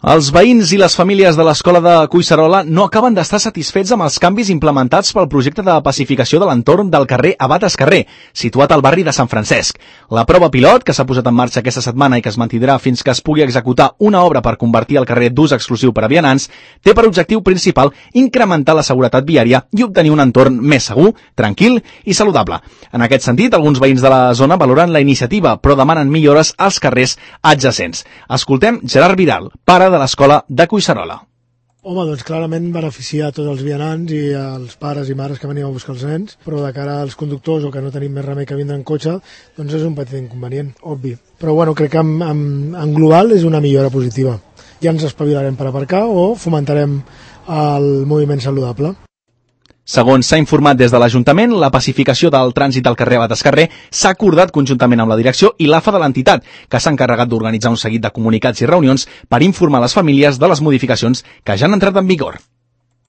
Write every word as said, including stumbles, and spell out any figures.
Els veïns i les famílies de l'escola de Collserola no acaben d'estar satisfets amb els canvis implementats pel projecte de pacificació de l'entorn del carrer Abat Escarrer, situat al barri de Sant Francesc. La prova pilot, que s'ha posat en marxa aquesta setmana i que es mantindrà fins que es pugui executar una obra per convertir el carrer d'ús exclusiu per a vianants, té per objectiu principal incrementar la seguretat viària i obtenir un entorn més segur, tranquil i saludable. En aquest sentit, alguns veïns de la zona valoren la iniciativa, però demanen millores als carrers adjacents. Escoltem Gerard Vidal, pare de l'escola de Collserola. Home, doncs clarament beneficia a tots els vianants i als pares i mares que venim a buscar els nens, però de cara als conductors o que no tenim més remei que vindre en cotxe, doncs és un petit inconvenient, obvi. Però bueno, crec que en, en, en global és una millora positiva. Ja ens espavilarem per aparcar o fomentarem el moviment saludable. Segons s'ha informat des de l'Ajuntament, la pacificació del trànsit al carrer Abat Escarrer s'ha acordat conjuntament amb la direcció i l'A F A de l'entitat, que s'ha encarregat d'organitzar un seguit de comunicats i reunions per informar les famílies de les modificacions que ja han entrat en vigor.